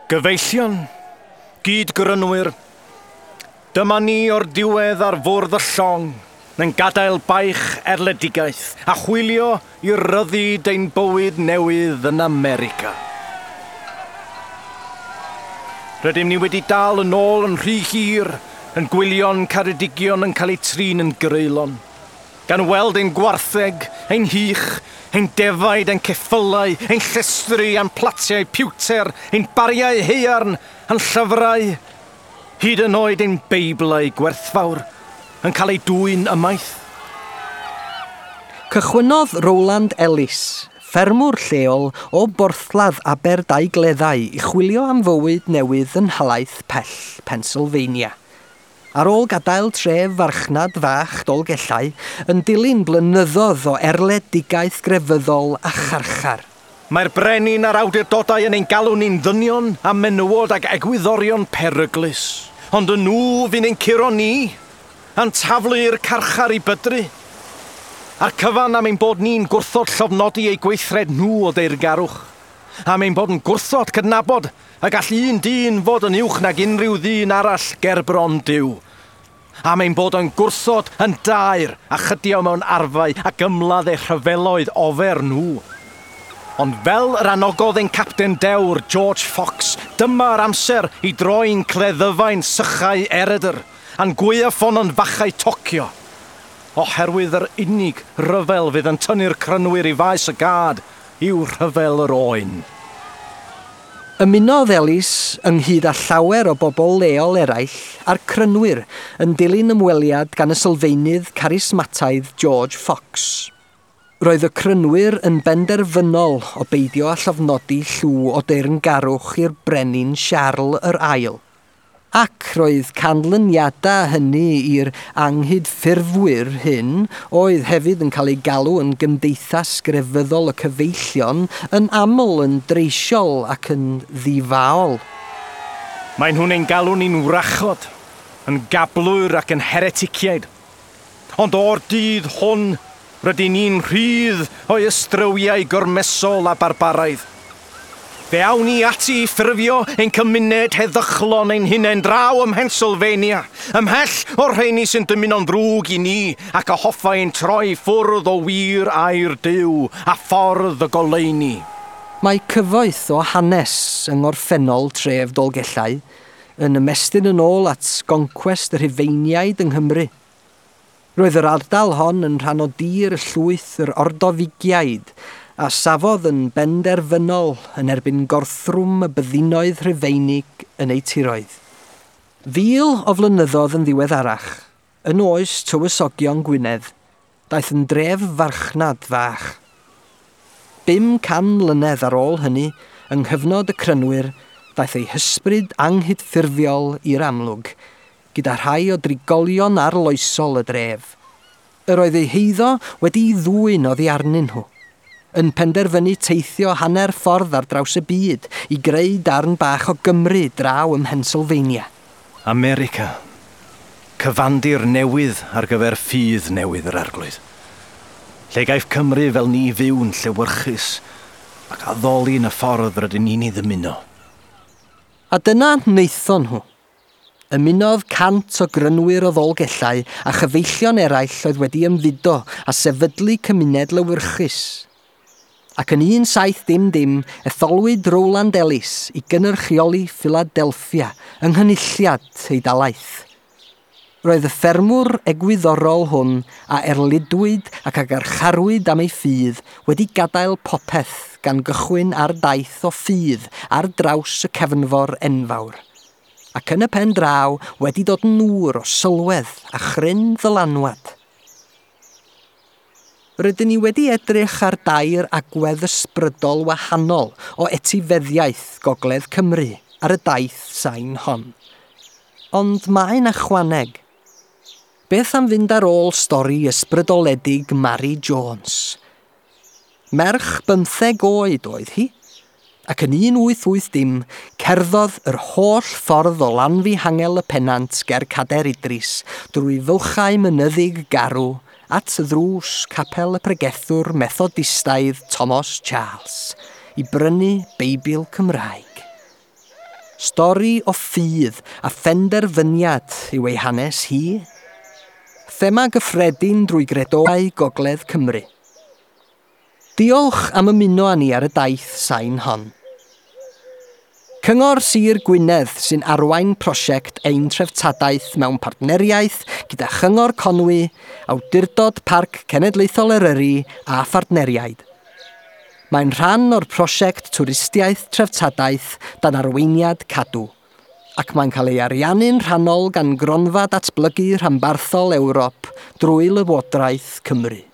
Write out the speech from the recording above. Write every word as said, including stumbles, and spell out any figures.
Gyfeillion, gyd-grynwyr, dyma ni o'r diwedd ar fwrdd y llong, yn gadael baich erledigaeth a chwilio i ryddid ein bywyd newydd yn America. Rydym ni wedi dal yn ôl yn rhy hir, yn gwylio'n caredigion yn cael eu trin yn greulon, gan weld ein gwartheg, ein hych, ein defaid, ein ceffylau, ein llestri, a'n platiau piwter, ein bariau haearn, a'n llyfrau, hyd yn oed ein beiblau gwerthfawr, yn cael eu dwyn ymaith. Cychwynnodd Rowland Ellis, ffermwr lleol o Borthladd Aberdaugleddau, i chwilio am fywyd newydd yn nhalaith pell Pennsylvania. Ar ôl gadael tref farchnad fach Dolgellau, yn dilyn blynyddoedd o erledigaeth grefyddol a charchar. Mae'r brenin a'r awdurdodau yn ein galw ni'n ddynion a menywod ac egwyddorion peryglus. Ond y nhw fy'n ein curo ni, a'n taflu i'r carchar i bydru. A'r cyfan am ein bod ni'n gwrthod llofnodi eu gweithred nhw o deyrngarwch. Am ein bod yn gwrthod cydnabod y gall un dyn fod yn uwch nag unrhyw ddyn arall gerbron Duw. Am ein bod yn gwrthod yn daer a chydio mewn arfau ac ymladd eu rhyfeloedd ofer nhw. Ond fel yr anogodd ein capten dewr George Fox, dyma'r amser i droi'n cleddyfau'n sychau eredr a'n gwaywffon yn fachau tocio. Oherwydd yr unig ryfel fydd yn tynnu'r crynwyr i faes y gad yw rhyfel yr oen. Ymunodd Ellis ynghyd â llawer o bobl leol eraill a'r crynwyr yn dilyn ymweliad gan y sylfaenydd carismataidd George Fox. Roedd y crynwyr yn benderfynol o beidio â llofnodi llw o deyrngarwch i'r brenin Siarl yr Ail. Ac roedd canlyniadau hynny i'r anghydffurfwyr hyn, oedd hefyd yn cael eu galw yn Gymdeithas Grefyddol y Cyfeillion, yn aml yn dreisiol ac yn ddifaol. Mae nhw'n ein galw ni'n wrachod, yn gablwyr ac yn hereticiaid. Ond o'r dydd hwn, rydyn ni'n rhydd o'i ystrywiau gormesol a barbaraidd. Fe awn ni ati i ffurfio ein cymuned heddychlon ein hunain draw ym Mhennsylvania, ymhell o'r rheini sy'n dymuno'n ddrwg i ni ac a hoffai ein troi ffwrdd o wir air Duw a ffordd y goleuni. Mae cyfoeth o hanes yng ngorffennol tref Dolgellau yn ymestyn yn ôl at goncwest y Rhufeiniaid yng Nghymru. Roedd yr ardal hon yn rhan o dir y llwyth yr Ordofigiaid a safodd yn benderfynol yn erbyn gorthrwm y byddinoedd Rhufeinig yn eu tiroedd. Fil o flynyddoedd yn ddiweddarach, yn oes tywysogion Gwynedd, daeth yn dref farchnad fach. Bum can mlynedd ar ôl hynny, yng nghyfnod y crynwyr, daeth ei hysbryd anghydffurfiol i'r amlwg, gyda rhai o drigolion arloesol y dref. Yr oedd eu heiddo wedi'i ddwyn oddi arnyn nhw, yn penderfynu teithio hanner ffordd ar draws y byd i greu darn bach o Gymru draw ym Mhennsylvania. America, cyfandir newydd ar gyfer ffydd newydd yr arglwydd. Lle gaiff Cymru fel ni fyw'n llewyrchus ac addoli yn y ffordd rydyn ni'n ei ddymuno. A dyna wnaethon nhw. Ymunodd cant o grynwyr o Ddolgellau a chyfeillion eraill oedd wedi ymfudo a sefydlu cymuned lewyrchus. Ac yn un saith dim dim, etholwyd Rowland Ellis i gynrychioli Philadelphia yng nghynulliad ei dalaith. Roedd y ffermwr egwyddorol hwn a erlidwyd ac a garcharwyd am ei ffydd wedi gadael popeth gan gychwyn ar daith o ffydd ar draws y cefnfor enfawr. Ac yn y pen draw wedi dod yn ŵr o sylwedd a chryn ddylanwad. Rydyn ni wedi edrych ar dair agwedd ysbrydol wahanol o etifeddiaeth Gogledd Cymru ar y daith sain hon. Ond mae'n ychwaneg. Beth am fynd ar ôl stori ysbrydoledig Mary Jones? Merch bymtheg oed oedd hi, ac yn un wyth wyth dim cerddodd yr holl ffordd o Lanfihangel y Pennant ger Cader Idris drwy fylchau mynyddig garw at ddrws capel y pregethwr Methodistaidd Thomas Charles i brynu Beibl Cymraeg. Stori o ffydd a phenderfyniad yw ei hanes hi. Thema gyffredin drwy gredoau Gogledd Cymru. Diolch am ymuno â ni ar y daith sain hon. Cyngor Sir Gwynedd sy'n arwain prosiect Ein Treftadaeth mewn partneriaeth gyda Chyngor Conwy, Awdurdod Parc Cenedlaethol Eryri a phartneriaid. Mae'n rhan o'r prosiect Twristiaeth Treftadaeth dan arweiniad Cadw, ac mae'n cael ei ariannu'n rhannol gan Gronfa Datblygu Rhanbarthol Ewrop drwy Lywodraeth Cymru.